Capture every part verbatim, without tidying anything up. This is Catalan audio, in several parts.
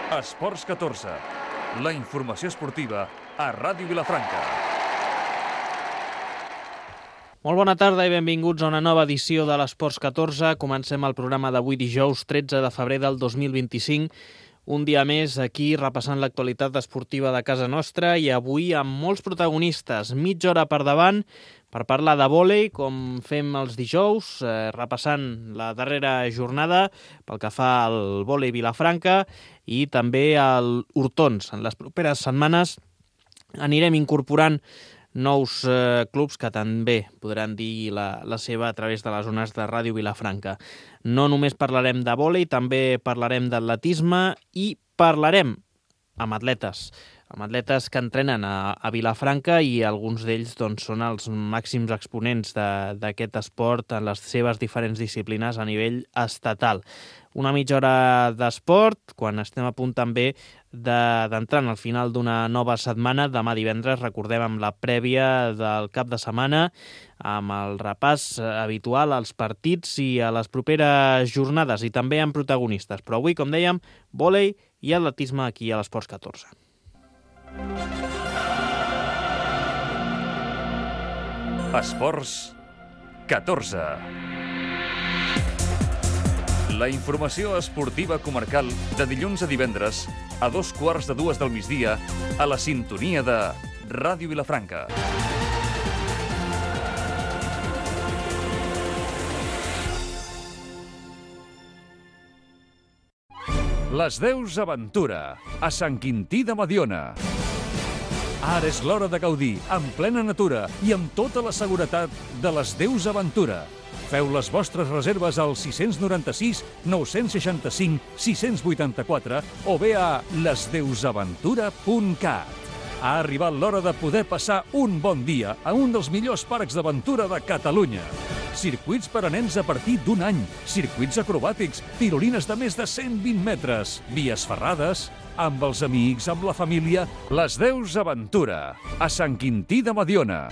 Esports catorze, la informació esportiva a Ràdio Vilafranca. Molt bona tarda i benvinguts a una nova edició de l'Esports catorze. Comencem el programa d'avui dijous tretze de febrer del dos mil vint-i-cinc. Un dia més aquí repassant l'actualitat esportiva de casa nostra i avui amb molts protagonistes. Mitja hora per davant per parlar de vòlei, com fem els dijous, eh, repassant la darrera jornada pel que fa al vòlei Vilafranca i també al Hortons. En les properes setmanes anirem incorporant nous eh, clubs que també podran dir la, la seva a través de les zones de Ràdio Vilafranca. No només parlarem de vòlei, també parlarem d'atletisme i parlarem amb atletes, amb atletes que entrenen a, a Vilafranca i alguns d'ells doncs, són els màxims exponents d'aquest esport en les seves diferents disciplines a nivell estatal. Una mitja hora d'esport, quan estem a punt també d'entrar de, al final d'una nova setmana. Demà divendres, recordem, amb la prèvia del cap de setmana, amb el repàs habitual als partits i a les properes jornades, i també amb protagonistes. Però avui, com dèiem, vòlei i atletisme aquí a l'Esports catorze. Esports catorze. La informació esportiva comarcal de dilluns a divendres a dos quarts de dues del migdia a la sintonia de Ràdio Vilafranca. Les Deus Aventura, a Sant Quintí de Mediona. Ara és l'hora de gaudir, en plena natura i amb tota la seguretat de les Deus Aventura. Feu les vostres reserves al sis nou sis, nou sis cinc, sis vuit quatre o bé a les deus aventura punt cat. Ha arribat l'hora de poder passar un bon dia a un dels millors parcs d'aventura de Catalunya. Circuits per a nens a partir d'un any, circuits acrobàtics, tirolines de més de cent vint metres, vies ferrades, amb els amics, amb la família, les Deus Aventura, a Sant Quintí de Mediona.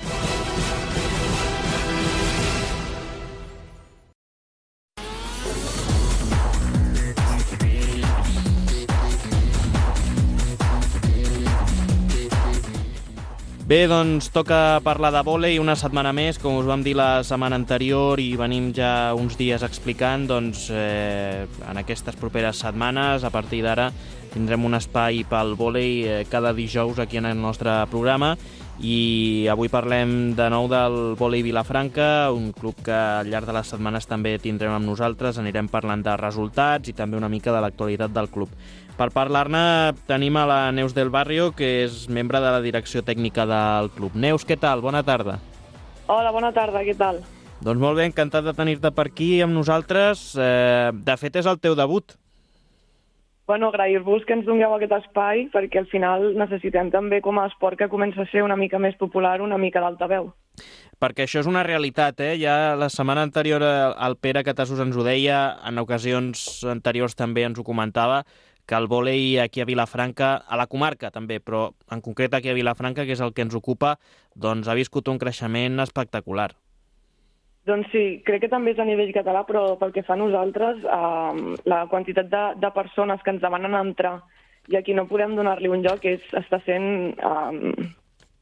Bé, doncs toca parlar de vòlei una setmana més, com us vam dir la setmana anterior i venim ja uns dies explicant, doncs eh, en aquestes properes setmanes, a partir d'ara, tindrem un espai pel vòlei eh, cada dijous aquí en el nostre programa i avui parlem de nou del vòlei Vilafranca, un club que al llarg de les setmanes també tindrem amb nosaltres, anirem parlant de resultats i també una mica de l'actualitat del club. Per parlar-ne tenim a la Neus del Barrio, que és membre de la direcció tècnica del club. Neus, què tal? Bona tarda. Hola, bona tarda, què tal? Doncs molt bé, encantat de tenir-te per aquí amb nosaltres. Eh, de fet, és el teu debut. Bueno, agrair-vos que ens dongueu aquest espai, perquè al final necessitem també com a esport que comença a ser una mica més popular, una mica d'altaveu. Perquè això és una realitat, eh? Ja la setmana anterior el Pere Catassos ens ho deia, en ocasions anteriors també ens ho comentava, que el vòlei aquí a Vilafranca, a la comarca també, però en concret aquí a Vilafranca, que és el que ens ocupa, doncs ha viscut un creixement espectacular. Doncs sí, crec que també és a nivell català, però pel que fa a nosaltres, eh, la quantitat de, de persones que ens demanen entrar i aquí no podem donar-li un lloc és, està sent, eh,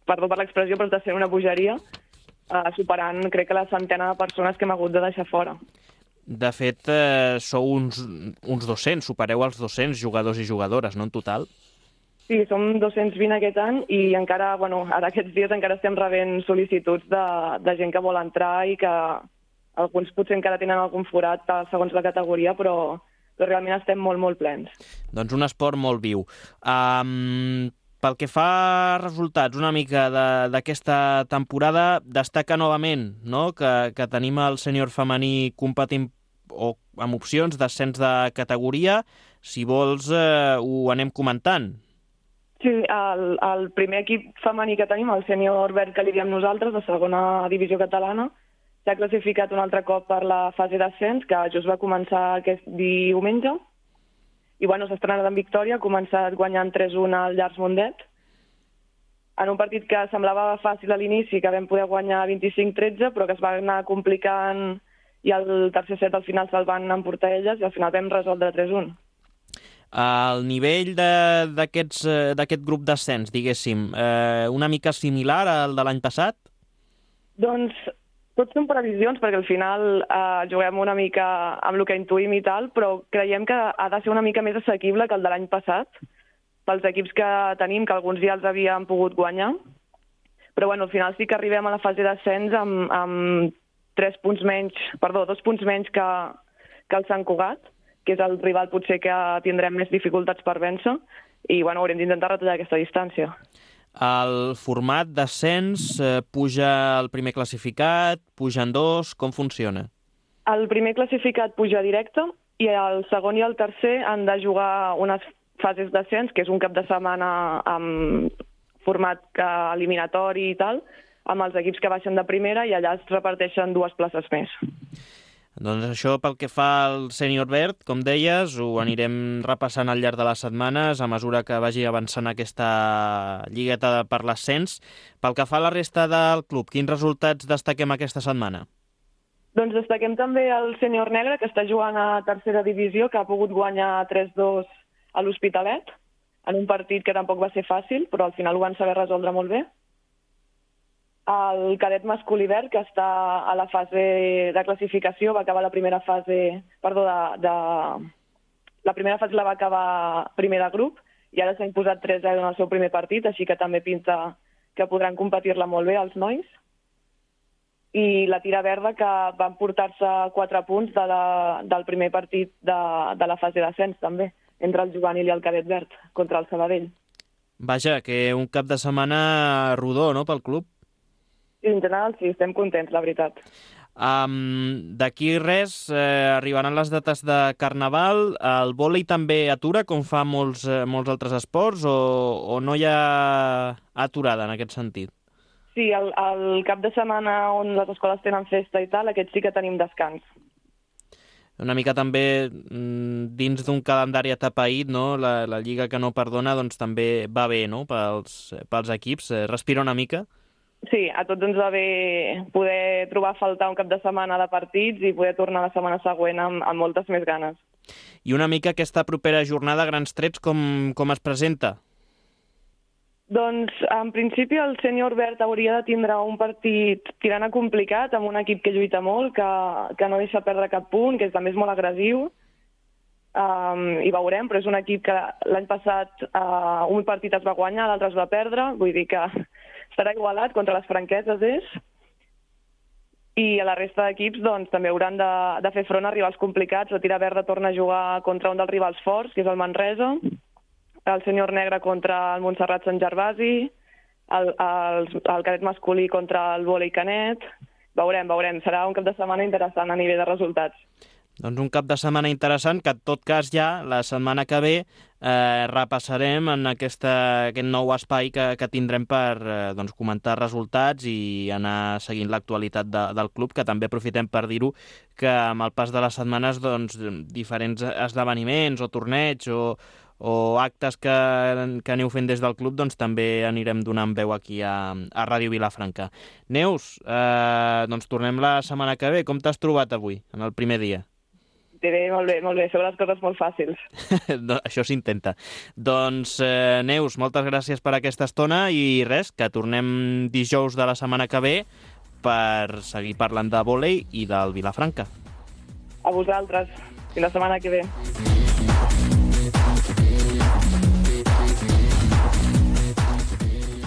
perdó per l'expressió, però està sent una bogeria, eh, superant, crec que la centena de persones que hem hagut de deixar fora. De fet, eh, sou uns, uns dos-cents, supereu els dos-cents jugadors i jugadores, no, en total? Sí, som dos-cents vint aquest any i encara, bueno, ara aquests dies encara estem rebent sol·licituds de, de gent que vol entrar i que alguns potser encara tenen algun forat segons la categoria, però, però realment estem molt, molt plens. Doncs un esport molt viu. Um, pel que fa a resultats una mica d'aquesta temporada, destaca novament, no?, que, que tenim el sènior femení competint o amb opcions d'ascens de categoria. Si vols, eh, ho anem comentant. Sí, el, el primer equip femení que tenim, el sènior verd que li diem nosaltres, de segona divisió catalana, s'ha classificat un altre cop per la fase d'ascens, que just va començar aquest diumenge, i bueno, s'ha estrenat en victòria, ha començat guanyant tres un al Llars Mundet, en un partit que semblava fàcil a l'inici, que vam poder guanyar vint-i-cinc tretze, però que es va anar complicant i el tercer set al final se'l van emportar elles i al final vam resoldre tres un. El nivell d'aquest grup d'ascens, diguéssim, eh, una mica similar al de l'any passat? Doncs tot són previsions, perquè al final eh, juguem una mica amb el que intuïm i tal, però creiem que ha de ser una mica més assequible que el de l'any passat, pels equips que tenim, que alguns ja els havien pogut guanyar. Però bueno, al final sí que arribem a la fase d'ascens amb, amb tres punts menys, perdó, dos punts menys que, que el Sant Cugat, que és el rival potser que tindrem més dificultats per vèncer, i bueno, haurem d'intentar retallar aquesta distància. El format d'ascens eh, puja el primer classificat, pugen dos, com funciona? El primer classificat puja directe i el segon i el tercer han de jugar unes fases d'ascens, que és un cap de setmana amb format eliminatori i tal, amb els equips que baixen de primera i allà es reparteixen dues places més. Doncs això pel que fa al sènior verd, com deies, ho anirem repassant al llarg de les setmanes a mesura que vagi avançant aquesta lligueta per l'ascens. Pel que fa a la resta del club, quins resultats destaquem aquesta setmana? Doncs destaquem també el sènior negre, que està jugant a tercera divisió, que ha pogut guanyar tres dos a l'Hospitalet, en un partit que tampoc va ser fàcil, però al final ho van saber resoldre molt bé. El cadet masculí verd, que està a la fase de classificació, va acabar la primera fase, perdó, de, de... la primera fase la va acabar primer de grup i ara s'ha imposat tres zero en el seu primer partit, així que també pinta que podran competir-la molt bé els nois. I la tira verda, que van portar-se quatre punts de la, del primer partit de, de la fase d'ascens, també, entre el juvenil i el cadet verd, contra el Sabadell. Vaja, que un cap de setmana rodó, no?, pel club. I en general sí, estem contents, la veritat. Um, D'aquí res, eh, arribaran les dates de Carnaval. El vòlei també atura, com fa molts, eh, molts altres esports, o, o no hi ha aturada en aquest sentit? Sí, el, el cap de setmana on les escoles tenen festa i tal, aquest sí que tenim descans. Una mica també dins d'un calendari atapeït, no? La, la lliga que no perdona, doncs també va bé, no?, pels, pels equips. Respira una mica? Sí, a tots ens va bé poder trobar a faltar un cap de setmana de partits i poder tornar la setmana següent amb, amb moltes més ganes. I una mica aquesta propera jornada, grans trets, com, com es presenta? Doncs, en principi, el sènior verd hauria de tindre un partit tirant a complicat, amb un equip que lluita molt, que, que no deixa perdre cap punt, que també és molt agressiu. Um, I veurem, però és un equip que l'any passat uh, un partit es va guanyar, l'altre es va perdre, vull dir que estarà igualat, contra les franqueses és. I a la resta d'equips doncs, també hauran de, de fer front a rivals complicats. La tira verda torna a jugar contra un dels rivals forts, que és el Manresa, el sènior negre contra el Montserrat Sant Gervasi, el, el, el cadet masculí contra el vòlei Canet. Veurem, veurem. Serà un cap de setmana interessant a nivell de resultats. Doncs un cap de setmana interessant que, en tot cas, ja la setmana que ve eh, repassarem en aquesta, aquest nou espai que, que tindrem per eh, doncs, comentar resultats i anar seguint l'actualitat de, del club, que també aprofitem per dir-ho, que amb el pas de les setmanes doncs, diferents esdeveniments o torneigs o, o actes que, que aneu fent des del club doncs, també anirem donant veu aquí a, a Ràdio Vilafranca. Neus, eh, doncs tornem la setmana que ve. Com t'has trobat avui, en el primer dia? Bé, molt bé, molt bé. Són les coses molt fàcils. No, això s'intenta. Doncs, eh, Neus, moltes gràcies per aquesta estona i res, que tornem dijous de la setmana que ve per seguir parlant de vòlei i del Vilafranca. A vosaltres. Fins la setmana que ve.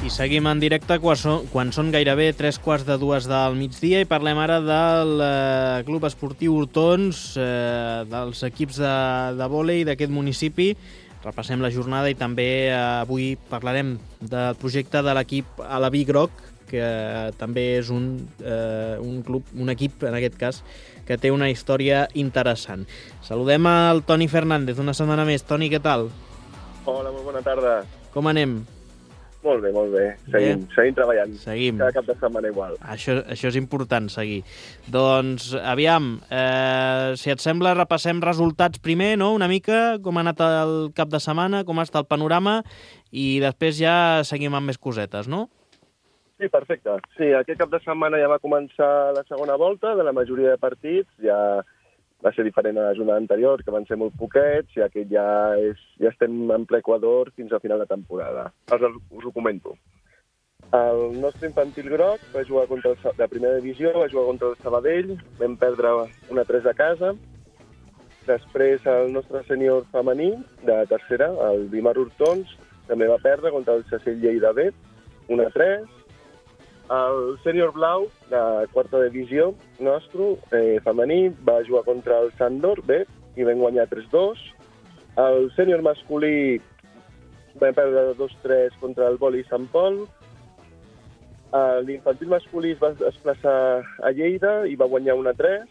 I seguim en directe quan són, quan són gairebé tres quarts de dues del migdia i parlem ara del eh, Club Esportiu Hortons, eh, dels equips de, de vòlei d'aquest municipi. Repassem la jornada i també eh, avui parlarem del projecte de l'equip Alaví Groc, que eh, també és un, eh, un club, un equip, en aquest cas, que té una història interessant. Saludem al Toni Fernández una setmana més. Toni, què tal? Hola, molt bona tarda. Com anem? Molt bé, molt bé. Seguim, bé. seguim treballant. Seguim. Cada cap de setmana igual. Això, això és important, seguir. Doncs, aviam, eh, si et sembla, repassem resultats primer, no?, una mica, com ha anat el cap de setmana, com està el panorama, i després ja seguim amb més cosetes, no? Sí, perfecte. Sí, aquest cap de setmana ja va començar la segona volta de la majoria de partits, ja va ser diferent a la jornada anterior, que van ser molt poquets, i aquest ja, és, ja estem en ple Equador fins al final de temporada. Us, us ho comento. El nostre infantil groc va jugar contra el, de primera divisió, va jugar contra el Sabadell, vam perdre una tres a casa. Després el nostre sènior femení de tercera, el Dimar Hortons, també va perdre contra el Cecil Lleida B, una tres. El sènior blau de quarta divisió nostre, eh, femení, va jugar contra el Sandor B i vam guanyar tres dos. El sènior masculí va perdre dos tres contra el Boli Sant Pol. L'infantil masculí es va desplaçar a Lleida i va guanyar una tres.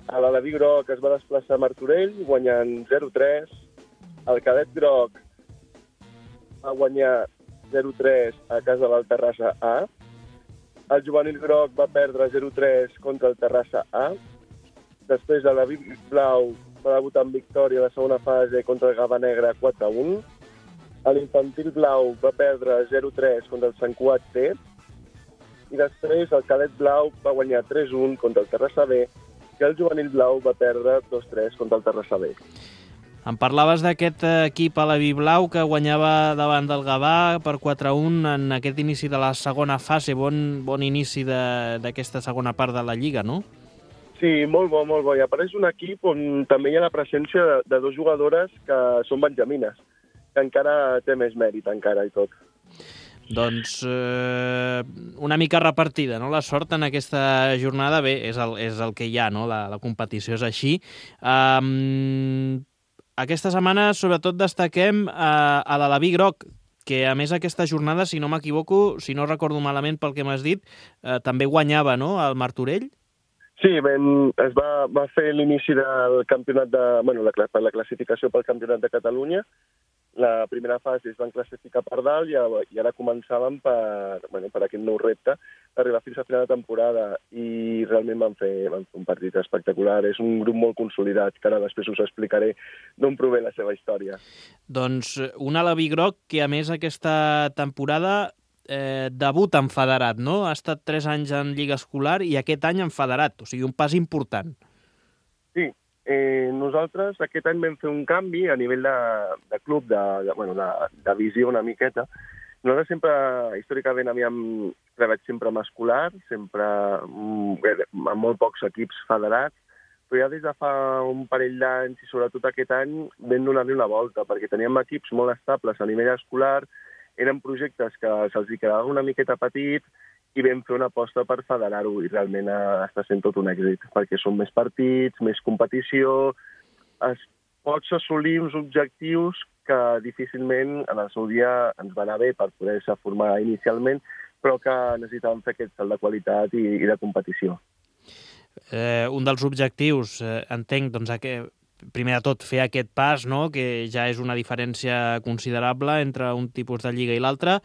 L'Alaví groc es va desplaçar a Martorell, guanyant zero tres. El cadet groc va guanyar zero tres a casa del Terrassa A. El juvenil groc va perdre zero tres contra el Terrassa A. Després l'Alaví blau va debutar en victòria a la segona fase contra el Gava Negra quatre un. L'infantil blau va perdre zero tres contra el Sant Cugat C. I després el cadet blau va guanyar tres un contra el Terrassa B i el juvenil blau va perdre dos tres contra el Terrassa B. Em parlaves d'aquest equip a la Blau que guanyava davant del Gavà per quatre un en aquest inici de la segona fase. Bon, bon inici d'aquesta segona part de la Lliga, no? Sí, molt bo, molt bo. I apareix un equip on també hi ha la presència de, de dues jugadores que són benjamines, que encara té més mèrit, encara i tot. Doncs eh, una mica repartida, no? La sort en aquesta jornada, bé, és el, és el que hi ha, no? La, la competició és així. Um, aquesta setmana, sobretot, destaquem a, a l'Alaví groc, que a més aquesta jornada, si no m'equivoco, si no recordo malament pel que m'has dit, eh, també guanyava, no?, el Martorell? Sí, ben, es va, va fer l'inici del campionat de... Bueno, la, per la classificació pel campionat de Catalunya. La primera fase es van classificar per dalt i, i ara començàvem per, bueno, per aquest nou repte, arribar fins a final de temporada, i realment van fer, van fer un partit espectacular. És un grup molt consolidat, que ara després us explicaré d'on prové la seva història. Doncs un Alaví groc que, a més, aquesta temporada eh, debuta en federat, no? Ha estat tres anys en Lliga Escolar i aquest any en federat, o sigui, un pas important. Sí. Eh, nosaltres aquest any vam fer un canvi a nivell de, de club, de, de, bueno, de, de visió una miqueta. Nosaltres sempre, històricament, havíem treballat sempre amb escolar, sempre amb molt pocs equips federats, però ja des de fa un parell d'anys, i sobretot aquest any, vam donar-li una volta, perquè teníem equips molt estables a nivell escolar, eren projectes que se'ls quedava una miqueta petit, i vam fer una aposta per federar-ho, i realment està sent tot un èxit, perquè són més partits, més competició, es pots assolir uns objectius que difícilment en el seu dia ens va anar bé per poder-se formar inicialment, però que necessitàvem fer aquest salt de qualitat i, i de competició. Eh, un dels objectius, eh, entenc, doncs, que, primer de tot, fer aquest pas, no?, que ja és una diferència considerable entre un tipus de lliga i l'altre,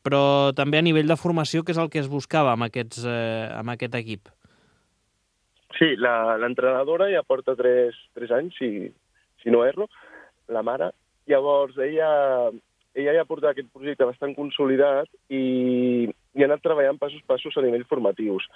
però també a nivell de formació, que és el que es buscava amb, aquests, eh, amb aquest equip. Sí, l'entrenadora ja porta tres, tres anys, si, si no erro, la mare. Llavors, ella, ella ja porta aquest projecte bastant consolidat i, i ha anat treballant passos a passos a nivell formatius.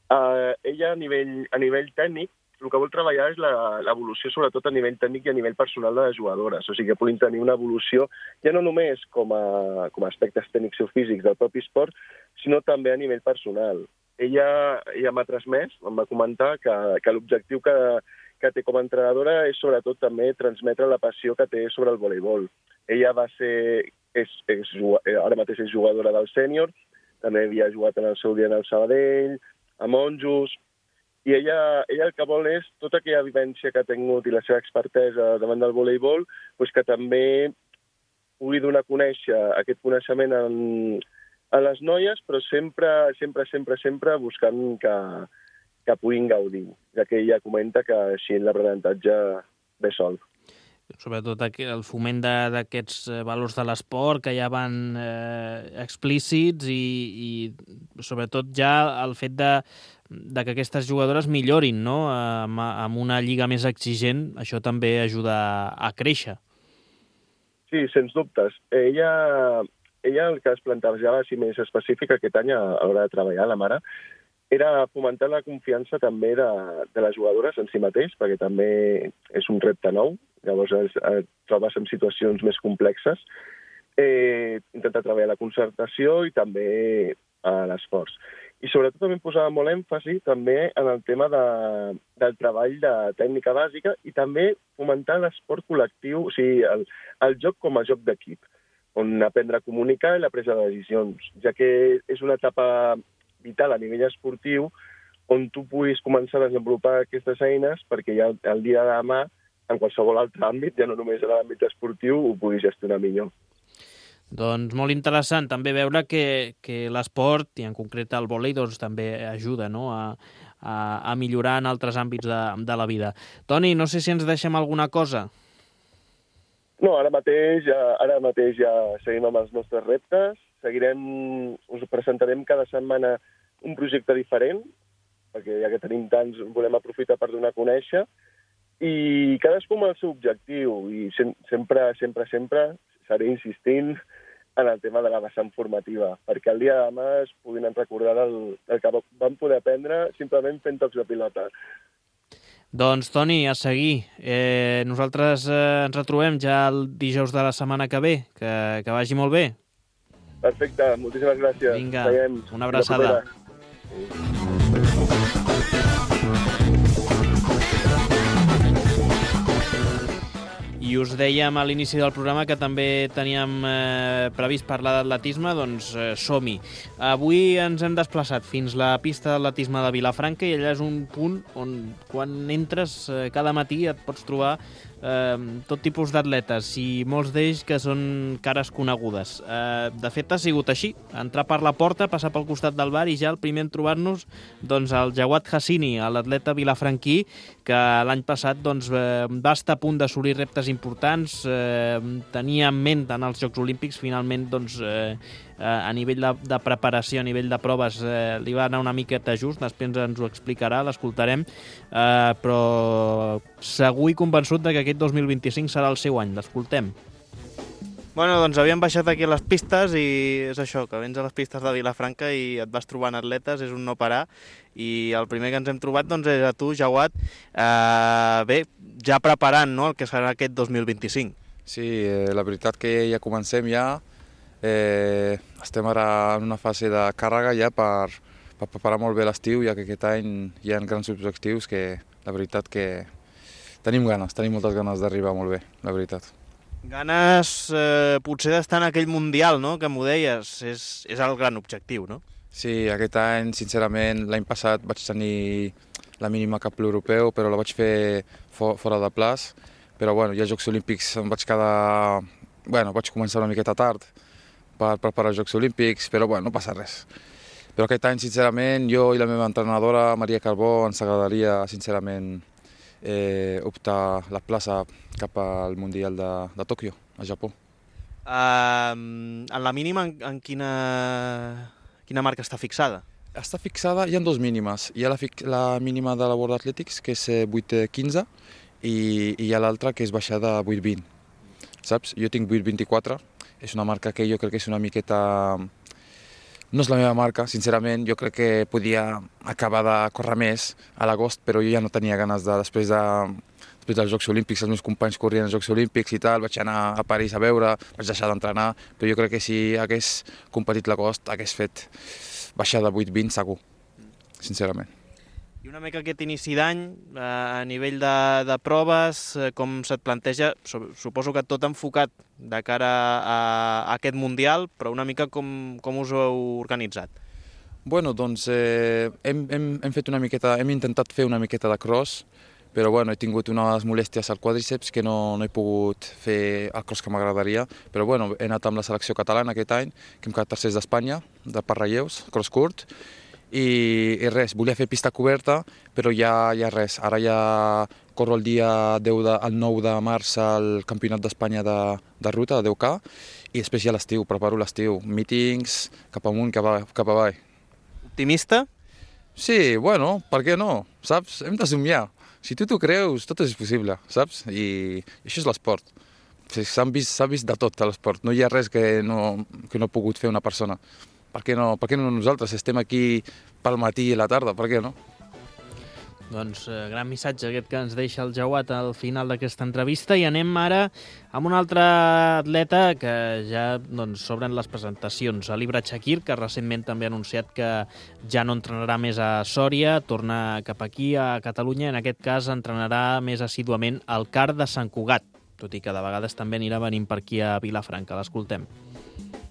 Uh, ella, a nivell, a nivell tècnic, el que vol treballar és l'evolució, sobretot a nivell tècnic i a nivell personal de les jugadores. O sigui, que puguin tenir una evolució, ja no només com a, com a aspectes tècnics o físics del propi esport, sinó també a nivell personal. Ella, ella m'ha transmès, em va comentar que, que l'objectiu que, que té com a entrenadora és sobretot també transmetre la passió que té sobre el voleibol. Ella va ser, és, és, ara mateix és jugadora del sènior, també havia jugat en el seu dia en el Sabadell, a Monjos, i ella, ella el que vol és tota aquella vivència que ha tingut i la seva expertesa davant del voleibol, doncs que també pugui donar a conèixer aquest coneixement en, en les noies, però sempre, sempre, sempre, sempre buscant que, que puguin gaudir, ja que ella comenta que així l'aprenentatge ve sol. Sobretot el foment d'aquests valors de l'esport que ja van eh, explícits i, i sobretot ja el fet de, de que aquestes jugadores millorin, no?, amb, amb una lliga més exigent, això també ajuda a créixer. Sí, sens dubtes. Ella, ella el que es plantejava, si més específic, aquest any a l'hora de treballar, la mare, era fomentar la confiança també de, de les jugadores en si mateix, perquè també és un repte nou, llavors es, es trobes en situacions més complexes, eh, intentar treballar la concertació i també a l'esforç. I sobretot també posava molt èmfasi també en el tema de, del treball de tècnica bàsica i també fomentar l'esport col·lectiu, o sigui, el, el joc com a joc d'equip, on aprendre a comunicar i la presa de decisions, ja que és una etapa vital a nivell esportiu on tu puguis començar a desenvolupar aquestes eines perquè ja el dia de demà, en qualsevol altre àmbit, ja no només en l'àmbit esportiu, ho puguis gestionar millor. Doncs molt interessant també veure que, que l'esport, i en concret el vòlei, doncs, també ajuda, no?, a, a, a millorar en altres àmbits de, de la vida. Toni, no sé si ens deixem alguna cosa. No, ara mateix, ja, ara mateix ja seguim amb els nostres reptes. Seguirem, us presentarem cada setmana un projecte diferent, perquè ja que tenim tants, volem aprofitar per donar a conèixer, i cadascú amb el seu objectiu, i sempre, sempre, sempre seré insistint en el tema de la vessant formativa, perquè el dia de demà es puguin recordar del, del que vam poder aprendre simplement fent tocs de pilota. Doncs, Toni, a seguir. Eh, nosaltres eh, ens retrobem ja el dijous de la setmana que ve. Que, que vagi molt bé. Perfecte, moltíssimes gràcies. Vinga, Veiem. Una abraçada. I us dèiem a l'inici del programa que també teníem eh, previst parlar d'atletisme, doncs eh, som-hi. Avui ens hem desplaçat fins la pista d'atletisme de Vilafranca i allà és un punt on quan entres eh, cada matí et pots trobar eh, tot tipus d'atletes i molts d'ells que són cares conegudes. Eh, de fet ha sigut així, entrar per la porta, passar pel costat del bar i ja el primer en trobar-nos doncs, el Jawad Hassini, l'atleta vilafranquí que l'any passat doncs, eh, va estar a punt d'assolir reptes importants, eh, tenia en ment en els Jocs Olímpics, finalment doncs, eh, a nivell de, de preparació, a nivell de proves eh, li va anar una miqueta just, després ens ho explicarà, l'escoltarem, eh, però segur i convençut de que aquest dos mil vint-i-cinc serà el seu any, l'escoltem. Bueno, doncs havíem baixat aquí a les pistes i és això, que vens a les pistes de Vilafranca i et vas trobant atletes, és un no parar, i el primer que ens hem trobat doncs, és a tu, Jawad, eh, bé, ja preparant, no?, el que serà aquest dos mil vint-i-cinc. Sí, eh, la veritat que ja comencem ja, eh, estem ara en una fase de càrrega ja per, per preparar molt bé l'estiu, ja que aquest any hi ha grans objectius que la veritat que tenim ganes, tenim moltes ganes d'arribar molt bé, la veritat. Ganes eh, potser d'estar en aquell Mundial, no?, que m'ho deies, és, és el gran objectiu, no? Sí, aquest any, sincerament, l'any passat vaig tenir la mínima cap europeu, però la vaig fer for, fora de plaç, però bueno, ja als Jocs Olímpics em vaig quedar... Bueno, vaig començar una miqueta tard per preparar els Jocs Olímpics, però bueno, no passa res. Però aquest any, sincerament, jo i la meva entrenadora, Maria Carbó, ens agradaria, sincerament, eh, optar la plaça cap al Mundial de, de Tòquio, a Japó. Uh, en la mínima, en, en quina, quina marca està fixada? Està fixada, hi ha dos mínimes. Hi ha la, la mínima de la World Athletics, que és vuit quinze, i, i hi ha l'altra, que és baixada a vuit vint. Saps? Jo tinc vuit vint-i-quatre, és una marca que jo crec que és una miqueta... No és la meva marca, sincerament, jo crec que podia acabar de córrer més a l'agost, però jo ja no tenia ganes de, després, de, després dels Jocs Olímpics, els meus companys corrien als Jocs Olímpics i tal, vaig anar a París a veure, vaig deixar d'entrenar, però jo crec que si hagués competit l'agost hagués fet baixar de vuit vint segur, sincerament. I una mica aquest inici d'any, eh, a nivell de, de proves, eh, com se't planteja, suposo que tot enfocat de cara a, a aquest Mundial, però una mica com, com us ho heu organitzat? Bueno, doncs eh, hem, hem, hem fet una miqueta, hem intentat fer una miqueta de cross, però bueno, he tingut unes molèsties al quàdriceps que no, no he pogut fer el cross que m'agradaria, però bueno, he anat amb la selecció catalana aquest any, que hem quedat tercers d'Espanya, de per relleus, cross curt, I, i res, volia fer pista coberta, però ja, ja res, ara ja corro el dia deu de, el nou de març al Campionat d'Espanya de, de ruta, de deu K, i després ja l'estiu, preparo l'estiu, meetings, cap amunt, cap, a, cap avall. Optimista? Sí, bueno, per què no, saps? Hem de somiar. Si tu t'ho creus, tot és possible, saps? I, i això és l'esport. S'ha vist, s'ha vist de tot a l'esport, no hi ha res que no, que no ha pogut fer una persona. per què no, per què no nosaltres? Estem aquí pel matí i la tarda, per què no? Doncs eh, gran missatge aquest que ens deixa el Jauat al final d'aquesta entrevista, i anem ara amb un altre atleta que ja doncs, s'obren les presentacions. L'Ibra Chakir, que recentment també ha anunciat que ja no entrenarà més a Sòria, torna cap aquí a Catalunya, en aquest cas entrenarà més assíduament al C A R de Sant Cugat, tot i que de vegades també anirà venint per aquí a Vilafranca. L'escoltem.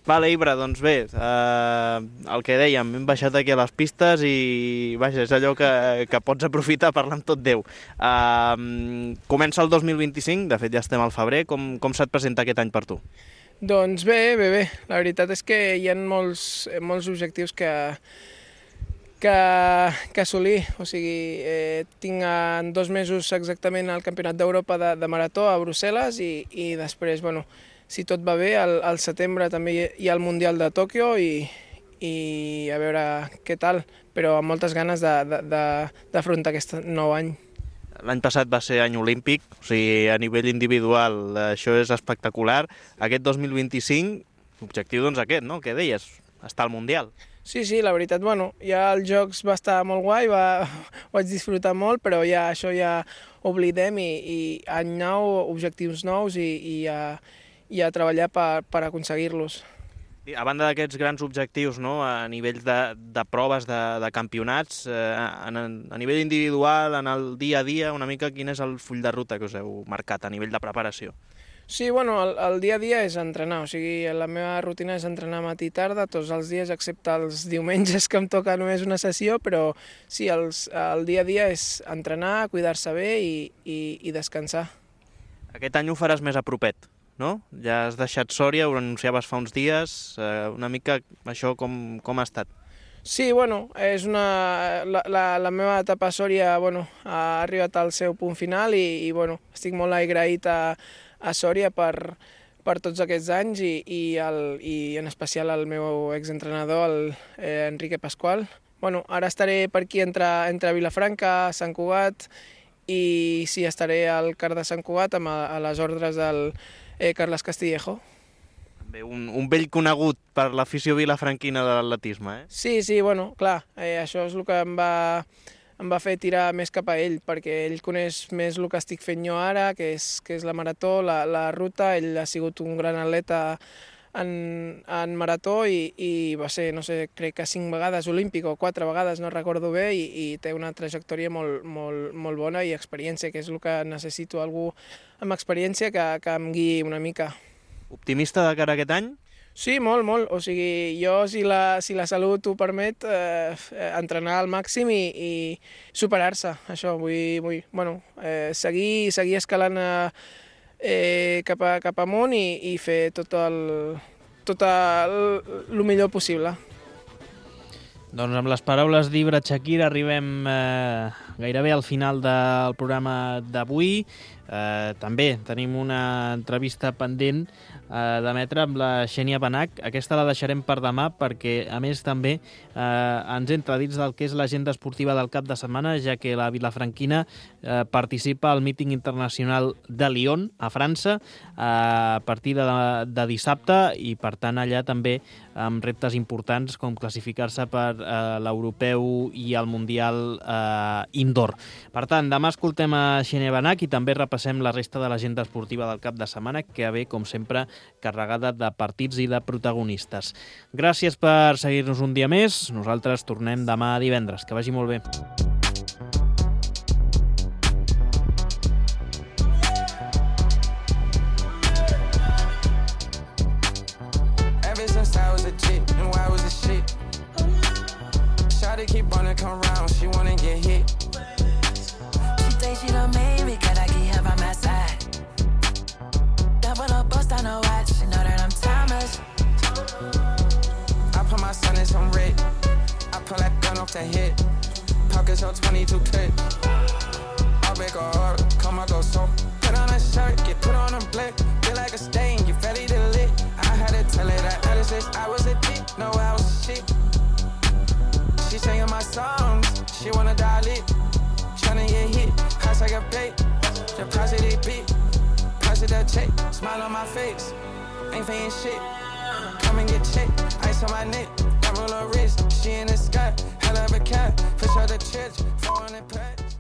Vale, Ibra, doncs bé, eh, el que dèiem, hem baixat aquí a les pistes i vaja, és allò que, que pots aprofitar a parlar amb tot Déu. Eh, comença el dos mil vint-i-cinc, de fet ja estem al febrer, com, com se't presenta aquest any per tu? Doncs bé, bé, bé. La veritat és que hi ha molts, molts objectius que, que, que assolir. O sigui, eh, tinc en dos mesos exactament el Campionat d'Europa de, de Marató a Brussel·les i, i després, bueno, si tot va bé, al, al setembre també hi ha el Mundial de Tòquio i, i a veure què tal, però amb moltes ganes d'afrontar aquest nou any. L'any passat va ser any olímpic, o sigui, a nivell individual això és espectacular. Aquest dos mil vint-i-cinc, l'objectiu doncs aquest, no?, que deies, estar al Mundial. Sí, sí, la veritat, bueno, ja els Jocs va estar molt guai, va, ho vaig disfrutar molt, però ja això ja oblidem i, i any nou, objectius nous i, i a, i a treballar per, per aconseguir-los. A banda d'aquests grans objectius, no?, a nivell de, de proves, de, de campionats, eh, en, a nivell individual, en el dia a dia, una mica quin és el full de ruta que us heu marcat a nivell de preparació? Sí, bueno, el, el dia a dia és entrenar, o sigui, la meva rutina és entrenar matí i tarda, tots els dies, excepte els diumenges que em toca només una sessió, però sí, els, el dia a dia és entrenar, cuidar-se bé i, i, i descansar. Aquest any ho faràs més a propet, no? Ja has deixat Sòria, ho anunciaves fa uns dies, eh, una mica això com, com ha estat? Sí, bueno, és una, la, la, la meva etapa a Sòria, bueno, ha arribat al seu punt final i, i bueno, estic molt agraït a, a Sòria per, per tots aquests anys i, i, el, i en especial al meu exentrenador, el eh, Enrique Pascual. Bueno, ara estaré per aquí entre, entre Vilafranca, Sant Cugat i sí, estaré al C A R de Sant Cugat amb a, a les ordres del Eh, Carles Castillejo. Bé, un, un vell conegut per l'afició vilafranquina de l'atletisme, eh? Sí, sí, bueno, clar, eh, això és el que em va, em va fer tirar més cap a ell, perquè ell coneix més el que estic fent jo ara, que és, que és la marató, la, la ruta. Ell ha sigut un gran atleta en, en marató i, i va ser, no sé, crec que cinc vegades olímpic o quatre vegades, no recordo bé, i, i té una trajectòria molt, molt, molt bona i experiència, que és el que necessito, algú amb experiència que, que em guiï una mica. Optimista de cara a aquest any? Sí, molt, molt. O sigui, jo, si la, si la salut ho permet, eh, entrenar al màxim i, i superar-se. Això, vull, vull bueno, eh, seguir, seguir escalant eh, cap, a, cap amunt i, i fer tot el, tot el, el millor possible. Doncs amb les paraules d'Ibra Chakir arribem eh, gairebé al final del programa d'avui. Eh, també tenim una entrevista pendent eh, d'emetre amb la Xènia Benach. Aquesta la deixarem per demà perquè, a més, també eh, ens entra dins del que és l'agenda esportiva del cap de setmana, ja que la vilafranquina eh, participa al míting internacional de Lyon, a França, eh, a partir de, de dissabte, i per tant allà també amb reptes importants com classificar-se per eh, l'europeu i el mundial eh, indoor. Per tant, demà escoltem a Xènia Benach i també repassem la resta de l'agenda esportiva del cap de setmana, que ve, com sempre, carregada de partits i de protagonistes. Gràcies per seguir-nos un dia més. Nosaltres tornem demà divendres. Que vagi molt bé. Shawty keep wanna come round, she wanna get hit. She think she done made me, gotta keep her by my side. Double up, bust on her watch, she know that I'm timeless. I put my son in some red, I pull that gun off the hip. Pockets on twenty-two clip. I'll break her heart, come I go so. Put on a shirt, get put on a blick. Feel like a stain, you ready to lit. I had to tell her that at least I was a dick, no I was shit. She singing my songs, she wanna dial it. Tryna get hit, hot like a plate. Deposit it big, deposit that check. Smile on my face, ain't paying shit. Come and get checked, ice on my neck. Camera wrist, she in the sky, hell of a cat, fish out the church, four hundred pack.